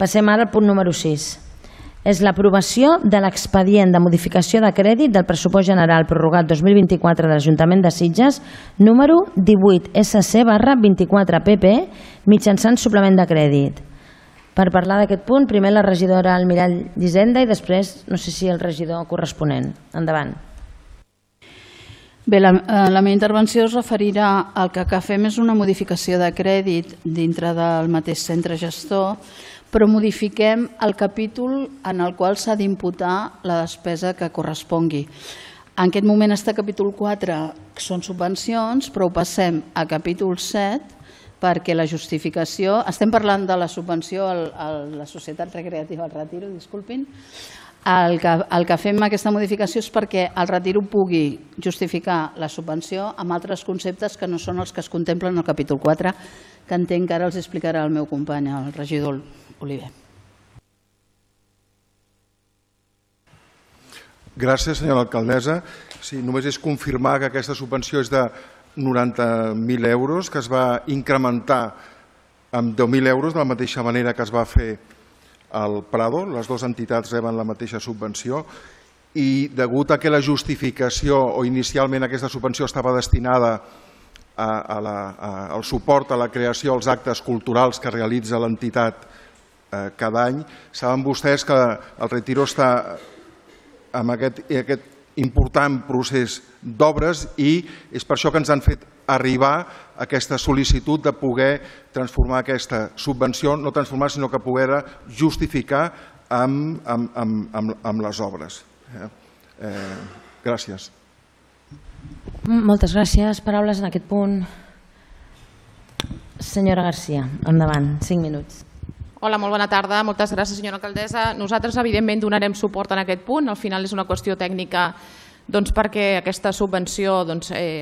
Passem ara al punt número 6. És l'aprovació de l'expedient de modificació de crèdit del pressupost general prorrogat 2024 de l'Ajuntament de Sitges, número 18 SC/24PP, mitjançant suplement de crèdit. Per parlar d'aquest punt, primer la regidora Almirall d'Hisenda i després, no sé si el regidor corresponent. Endavant. Bé, la meva intervenció es referirà al que fem és una modificació de crèdit dintre del mateix centre gestor, però modifiquem el capítol en el qual s'ha d'imputar la despesa que correspongui. En aquest moment està a capítol 4, que són subvencions, però ho passem a capítol 7 perquè la justificació... Estem parlant de la subvenció a la Societat Recreativa al Retiro, disculpin. El que fem aquesta modificació és perquè el Retiro pugui justificar la subvenció amb altres conceptes que no són els que es contemplen al capítol 4, que entenc que ara els explicarà el meu company, el regidor Oliver. Gràcies, senyora alcaldessa. Sí, només és confirmar que aquesta subvenció és de 90.000 euros, que es va incrementar amb 10.000 euros, de la mateixa manera que es va fer al Prado. Les dues entitats reben la mateixa subvenció i degut a que la justificació o inicialment aquesta subvenció estava destinada al suport a la creació dels actes culturals que realitza l'entitat cada any, saben vostès que el Retiro està en aquest important procés d'obres i és per això que ens han fet arribar aquesta sol·licitud de poder transformar aquesta subvenció, no transformar, sinó que poder justificar amb les obres. Gràcies. Moltes gràcies. Paraules en aquest punt. Senyora Garcia, endavant, 5 minuts. Hola, molt bona tarda. Moltes gràcies, senyora alcaldessa. Nosaltres, evidentment, donarem suport en aquest punt. Al final és una qüestió tècnica perquè aquesta subvenció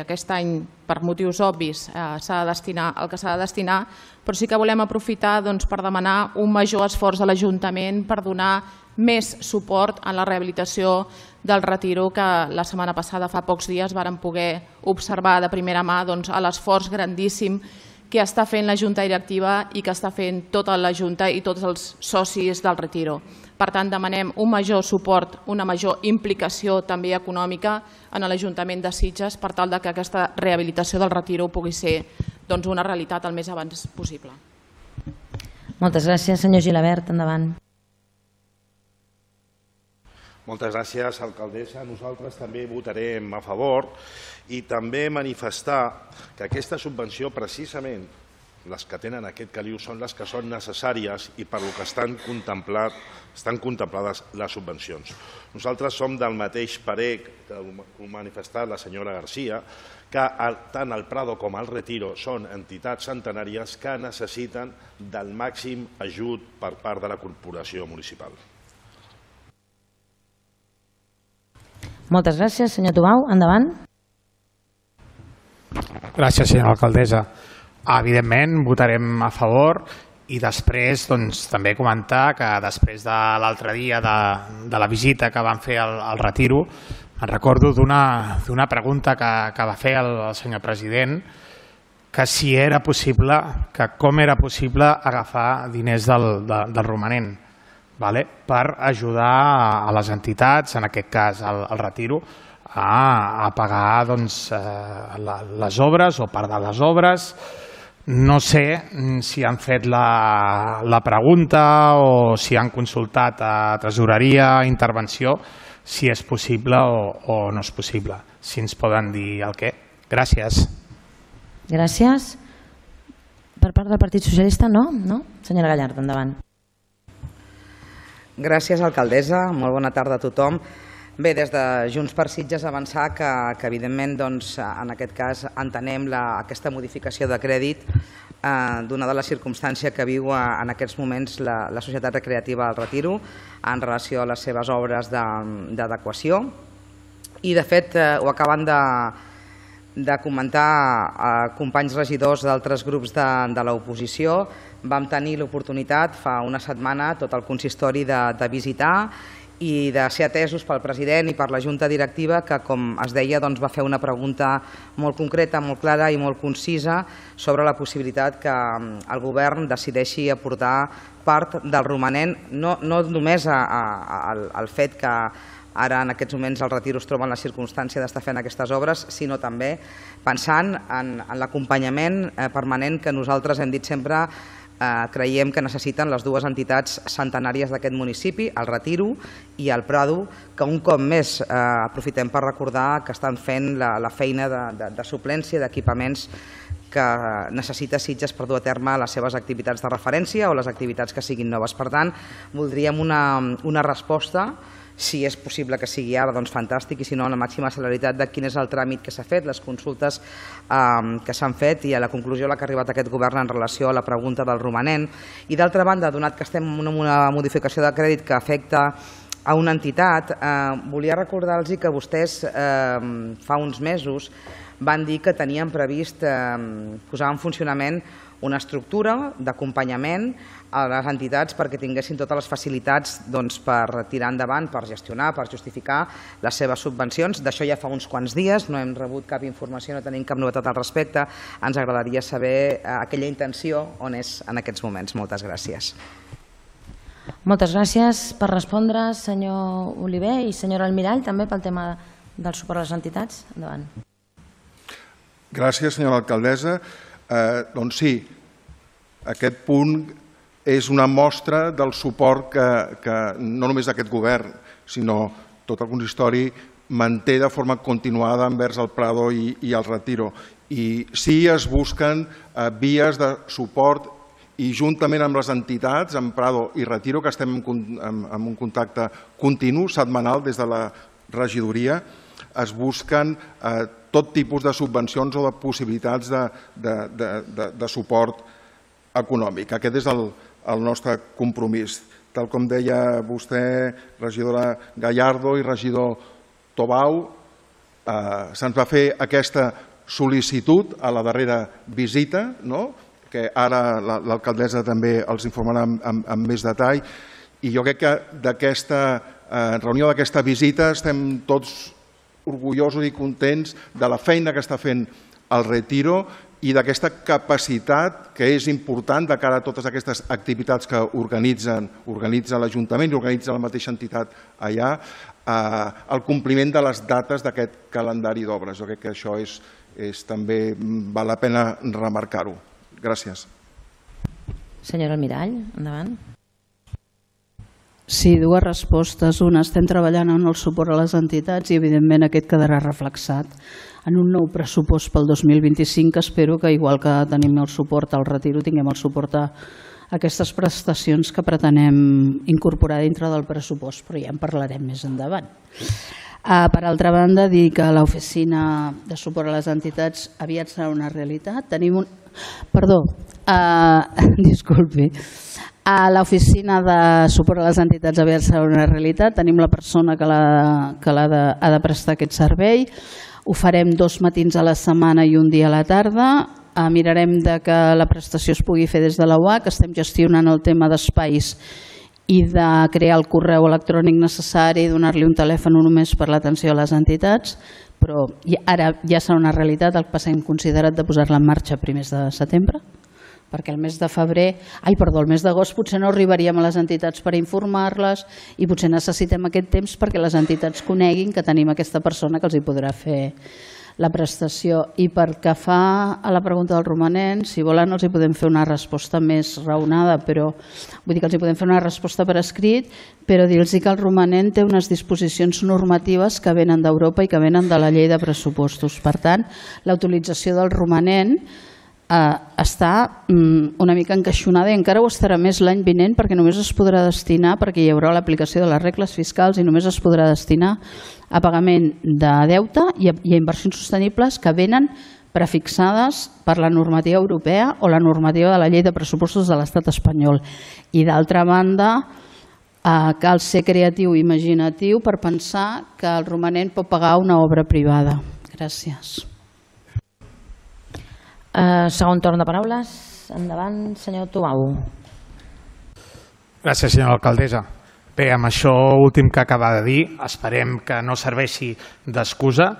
aquest any, per motius obvis, s'ha de destinar el que s'ha de destinar, però sí que volem aprofitar per demanar un major esforç a l'Ajuntament per donar més suport a la rehabilitació del Retiro, que la setmana passada, fa pocs dies, vàrem poder observar de primera mà l'esforç grandíssim que està fent la Junta Directiva i que està fent tota la Junta i tots els socis del Retiro. Per tant, demanem un major suport, una major implicació també econòmica en l'Ajuntament de Sitges per tal que aquesta rehabilitació del Retiro pugui ser una realitat el més abans possible. Moltes gràcies. Senyor Gilabert, endavant. Moltes gràcies, alcaldessa. Nosaltres també votarem a favor i també manifestar que aquesta subvenció, precisament, les que tenen aquest caliu són les que són necessàries i per lo que estan contemplades les subvencions. Nosaltres som del mateix parer que ha manifestat la senyora Garcia, que tant el Prado com el Retiro són entitats centenàries que necessiten del màxim ajut per part de la corporació municipal. Moltes gràcies. Senyor Tubau, endavant. Gràcies, senyora alcaldessa. Evidentment, votarem a favor i després també comentar que després de l'altre dia de la visita que van fer al Retiro, me'n recordo d'una pregunta que va fer el senyor president, que si era possible, que com era possible agafar diners del romanent per ajudar a les entitats, en aquest cas al Retiro, a pagar les obres o part de les obres. No sé si han fet la pregunta o si han consultat a tresoreria, intervenció, si és possible o no és possible. Si ens poden dir el què. Gràcies. Gràcies. Per part del Partit Socialista, no? Senyora Gallard, endavant. Gràcies, alcaldessa. Molt bona tarda a tothom. Bé, des de Junts per Sitges avançar que evidentment en aquest cas entenem aquesta modificació de crèdit donada la circumstància que viu en aquests moments la Societat Recreativa del Retiro en relació a les seves obres d'adequació i de fet ho acaben de comentar companys regidors d'altres grups de l'oposició. Vam tenir l'oportunitat fa una setmana tot el consistori de visitar i de ser atesos pel president i per la Junta Directiva, que, com es deia, va fer una pregunta molt concreta, molt clara i molt concisa sobre la possibilitat que el govern decideixi aportar part del romanent, no només al fet que ara en aquests moments el Retiro es troba en la circumstància d'estar fent aquestes obres, sinó també pensant en l'acompanyament permanent que nosaltres hem dit sempre creiem que necessiten les dues entitats centenàries d'aquest municipi, el Retiro i el Prado, que un cop més aprofitem per recordar que estan fent la feina de suplència d'equipaments que necessita Sitges per dur a terme les seves activitats de referència o les activitats que siguin noves. Per tant, voldríem una resposta, si és possible que sigui ara, doncs fantàstic, i si no, amb la màxima celeritat de quin és el tràmit que s'ha fet, les consultes que s'han fet i a la conclusió a la que ha arribat aquest govern en relació a la pregunta del romanent. I d'altra banda, donat que estem en una modificació de crèdit que afecta a una entitat, volia recordar-los que vostès fa uns mesos van dir que tenien previst posar en funcionament una estructura d'acompanyament a les entitats perquè tinguessin totes les facilitats per tirar endavant, per gestionar, per justificar les seves subvencions. D'això ja fa uns quants dies, no hem rebut cap informació, no tenim cap novetat al respecte. Ens agradaria saber aquella intenció on és en aquests moments. Moltes gràcies. Moltes gràcies per respondre, senyor Oliver, i senyora Almirall, també pel tema del suport a les entitats. Endavant. Gràcies, senyora alcaldessa. Doncs sí, aquest punt és una mostra del suport que no només aquest govern, sinó tot el consistori manté de forma continuada envers el Prado i el Retiro. I sí es busquen vies de suport i juntament amb les entitats, amb Prado i Retiro, que estem en un contacte continu, setmanal, des de la regidoria, es busquen tot tipus de subvencions o de possibilitats de suport econòmic. Aquest és el nostre compromís. Tal com deia vostè, regidora Gallardo i regidor Tobau, se'ns va fer aquesta sol·licitud a la darrera visita, que ara l'alcaldessa també els informarà amb més detall, i jo crec que d'aquesta reunió, d'aquesta visita, estem tots orgullosos i contents de la feina que està fent el Retiro i d'aquesta capacitat que és important de cara a totes aquestes activitats que organitza l'Ajuntament i organitza la mateixa entitat allà, el compliment de les dates d'aquest calendari d'obres. Jo crec que això també val la pena remarcar-ho. Gràcies. Senyora Almirall, endavant. Sí, dues respostes. Una, estem treballant en el suport a les entitats i evidentment aquest quedarà reflexat en un nou pressupost pel 2025, que espero que, igual que tenim el suport al Retiro, tinguem el suport a aquestes prestacions que pretenem incorporar dintre del pressupost, però ja en parlarem més endavant. Per altra banda, dir que l'oficina de suport a les entitats aviat serà una realitat. Tenim un... Perdó, disculpi. A l'oficina de suport a les entitats aviat serà una realitat. Tenim la persona que ha de prestar aquest servei. Ho farem 2 matins a la setmana i un dia a la tarda. Mirarem que la prestació es pugui fer des de la UAC. Estem gestionant el tema d'espais i de crear el correu electrònic necessari i donar-li un telèfon només per l'atenció a les entitats, però ara ja serà una realitat. El que hem considerat de posar-la en marxa a primers de setembre, perquè el mes d'agost potser no arribaríem a les entitats per informar-les i potser necessitem aquest temps perquè les entitats coneguin que tenim aquesta persona que els hi podrà fer la prestació. I pel que fa a la pregunta del romanent, si volen els hi podem fer una resposta més raonada, però vull dir que els hi podem fer una resposta per escrit, però dir-los que el romanent té unes disposicions normatives que venen d'Europa i que venen de la llei de pressupostos. Per tant, la utilització del romanent està una mica encaixonada i encara ho estarà més l'any vinent perquè només es podrà destinar, perquè hi haurà l'aplicació de les regles fiscals i només es podrà destinar a pagament de deute i a inversions sostenibles que venen prefixades per la normativa europea o la normativa de la llei de pressupostos de l'estat espanyol. I d'altra banda, cal ser creatiu i imaginatiu per pensar que el romanent pot pagar una obra privada. Gràcies. Segon torn de paraules. Endavant, senyor Tobau. Gràcies, senyora alcaldessa. Bé, amb això últim que acaba de dir, esperem que no serveixi d'excusa,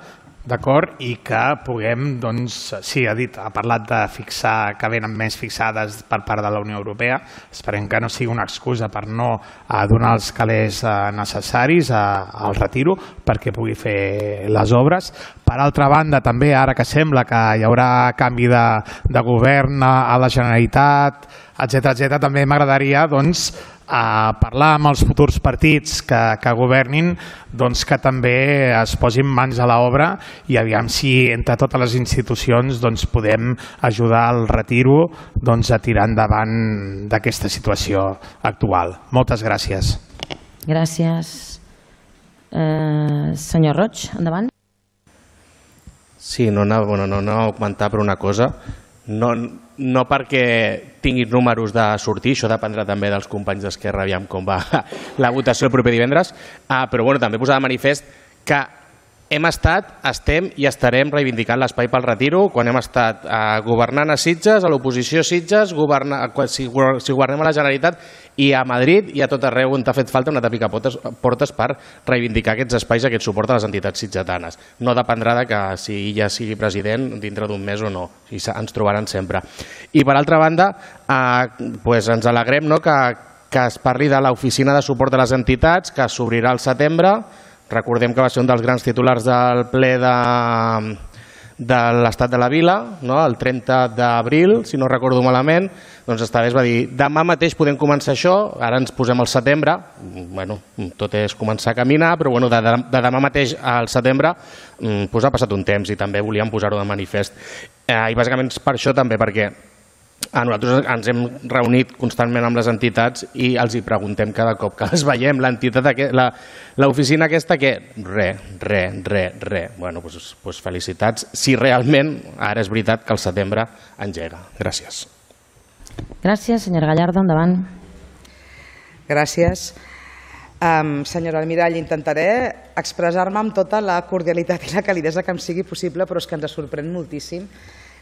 d'acord, i que puguem, doncs, sí, ha parlat de fixar, que venen més fixades per part de la Unió Europea, esperem que no sigui una excusa per no donar els calés necessaris al retiro perquè pugui fer les obres. Per altra banda, també, ara que sembla que hi haurà canvi de govern a la Generalitat, etc., també m'agradaria, doncs, parlar amb els futurs partits que governin, doncs que també es posin mans a l'obra i aviam si entre totes les institucions podem ajudar al retiro a tirar endavant d'aquesta situació actual. Moltes gràcies. Gràcies. Senyor Roig, endavant. Sí, no anava a comentar per una cosa. No perquè tinguin números de sortir, això dependrà també dels companys d'Esquerra, aviam com va la votació el proper divendres, però també posar de manifest que hem estat, estem i estarem reivindicant l'espai pel retiro quan hem estat governant a Sitges, a l'oposició a Sitges, si governem a la Generalitat i a Madrid i a tot arreu on ha fet falta una picar portes per reivindicar aquests espais i aquest suport a les entitats sitgetanes. No dependrà de que si ella sigui president dintre d'un mes o no, ens trobaran sempre. I per altra banda, ens alegrem que es parli de l'oficina de suport a les entitats que s'obrirà al setembre. Recordem que va ser un dels grans titulars del ple de l'Estat de la Vila, el 30 d'abril, si no recordo malament, doncs esta vegada es va dir demà mateix podem començar això, ara ens posem al setembre, tot és començar a caminar, però de demà mateix al setembre ha passat un temps i també volíem posar-ho de manifest. I bàsicament per això també, perquè nosaltres ens hem reunit constantment amb les entitats i els hi preguntem cada cop que les veiem, l'oficina aquesta, que res. Doncs felicitats, si realment ara és veritat que el setembre engega. Gràcies. Gràcies, senyora Gallardo, endavant. Gràcies. Senyora Almirall, intentaré expressar-me amb tota la cordialitat i la calidesa que em sigui possible, però és que ens sorprèn moltíssim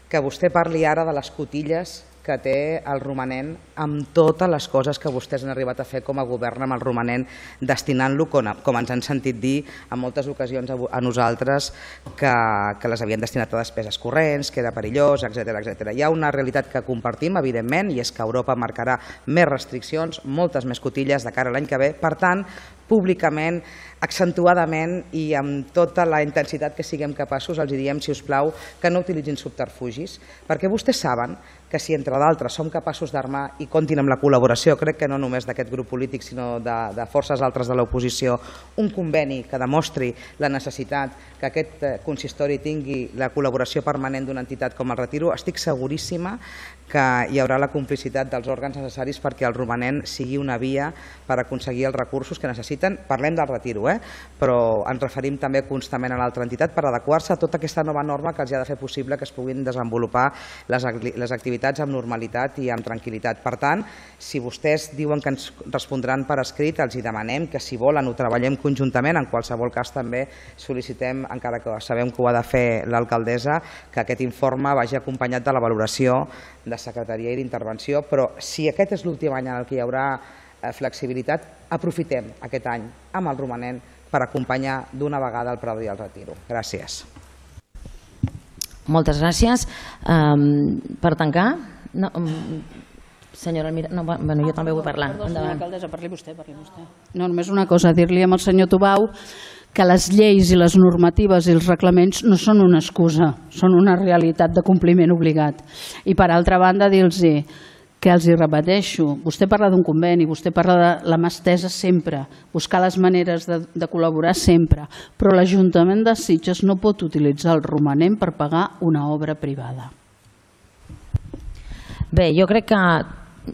que vostè parli ara de les cotilles que té el romanent amb totes les coses que vostès han arribat a fer com a govern amb el romanent, destinant-lo, com ens han sentit dir en moltes ocasions a nosaltres, que les havien destinat a despeses corrents, que era perillós, etc. Hi ha una realitat que compartim, evidentment, i és que Europa marcarà més restriccions, moltes més cotilles de cara a l'any que ve. Per tant, públicament, accentuadament i amb tota la intensitat que siguem capaços, els diem, si us plau, que no utilitzin subterfugis, perquè vostès saben que si entre d'altres som capaços d'armar i comptin amb la col·laboració, crec que no només d'aquest grup polític sinó de forces altres de l'oposició, un conveni que demostri la necessitat que aquest consistori tingui la col·laboració permanent d'una entitat com el Retiro, estic seguríssima que hi haurà la complicitat dels òrgans necessaris perquè el romanent sigui una via per aconseguir els recursos que necessiten. Parlem del Retiro, però ens referim també constantment a l'altra entitat per adequar-se a tota aquesta nova norma que els ha de fer possible que es puguin desenvolupar les activitats amb normalitat i amb tranquil·litat. Per tant, si vostès diuen que ens respondran per escrit, els demanem que si volen ho treballem conjuntament, en qualsevol cas també sol·licitem, encara que sabem que ho ha de fer l'alcaldessa, que aquest informe vagi acompanyat de la valoració de secretaria i d'intervenció, però si aquest és l'últim any en què hi haurà flexibilitat, aprofitem aquest any amb el romanent per acompanyar d'una vegada el Prado i el Retiro. Gràcies. Moltes gràcies. Per tancar, senyora Almirall, jo també vull parlar. Senyora alcaldessa, parli vostè. No, només una cosa, dir-li al senyor Tubau que les lleis i les normatives i els reglaments no són una excusa, són una realitat de compliment obligat. I per altra banda, dir-los que els hi repeteixo, vostè parla d'un conveni, vostè parla de la mà estesa sempre, buscar les maneres de col·laborar sempre, però l'Ajuntament de Sitges no pot utilitzar el romanent per pagar una obra privada. Bé, jo crec que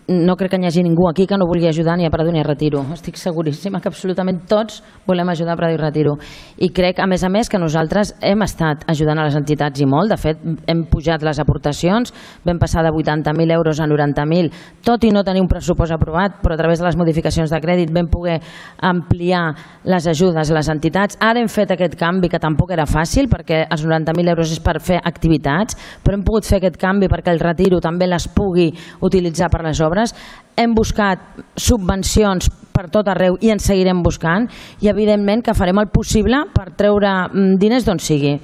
no crec que hi hagi ningú aquí que no vulgui ajudar ni a Prado ni a Retiro. Estic seguríssima que absolutament tots volem ajudar a Prado i Retiro. I crec, a més, que nosaltres hem estat ajudant a les entitats i molt. De fet, hem pujat les aportacions, vam passar de 80.000 euros a 90.000, tot i no tenir un pressupost aprovat, però a través de les modificacions de crèdit vam poder ampliar les ajudes a les entitats. Ara hem fet aquest canvi, que tampoc era fàcil, perquè els 90.000 euros és per fer activitats, però hem pogut fer aquest canvi perquè el Retiro també les pugui utilitzar per les obres. Hem buscat subvencions per tot arreu i en seguirem buscant, i evidentment que farem el possible per treure diners d'on sigui,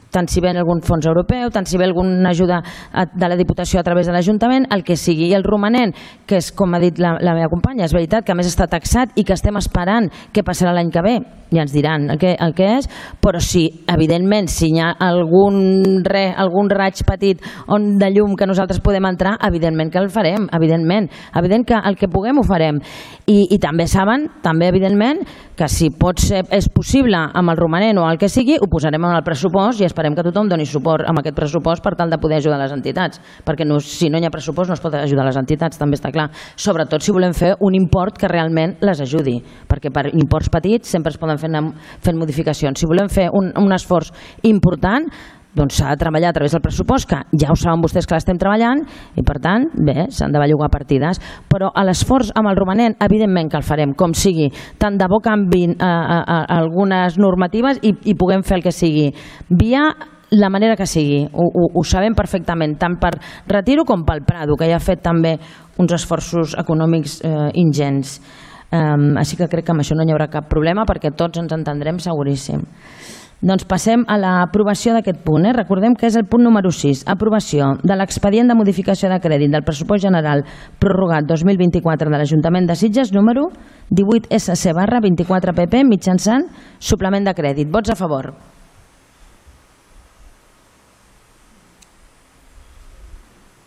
tant si ve algun fons europeu, tant si ve alguna ajuda de la Diputació a través de l'Ajuntament, el que sigui. I el romanent, que és, com ha dit la meva companya, és veritat que a més està taxat i que estem esperant què passarà l'any que ve, ja ens diran el que és, però sí, evidentment, si hi ha algun raig petit de llum que nosaltres podem entrar, evidentment que el farem, evident que el que puguem ho farem. I també saben, també evidentment, que si és possible amb el romanent o el que sigui, ho posarem en el pressupost i esperem que tothom doni suport amb aquest pressupost per tal de poder ajudar les entitats, perquè si no hi ha pressupost no es pot ajudar les entitats, també està clar, sobretot si volem fer un import que realment les ajudi, perquè per imports petits sempre es poden fer fent modificacions. Si volem fer un esforç important, doncs s'ha de treballar a través del pressupost, que ja ho saben vostès que l'estem treballant, i per tant, bé, s'han de bellugar partides, però a l'esforç amb el romanent, evidentment que el farem, com sigui, tant de bo canviïn algunes normatives i puguem fer el que sigui, via la manera que sigui, ho sabem perfectament, tant per Retiro com pel Prado, que ja ha fet també uns esforços econòmics ingents. Així que crec que amb això no hi haurà cap problema, perquè tots ens entendrem seguríssim. Doncs passem a l'aprovació d'aquest punt. Recordem que és el punt número 6, aprovació de l'expedient de modificació de crèdit del pressupost general prorrogat 2024 de l'Ajuntament de Sitges, número 18 SC/24 PP, mitjançant suplement de crèdit. Vots a favor?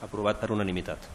Aprovat per unanimitat.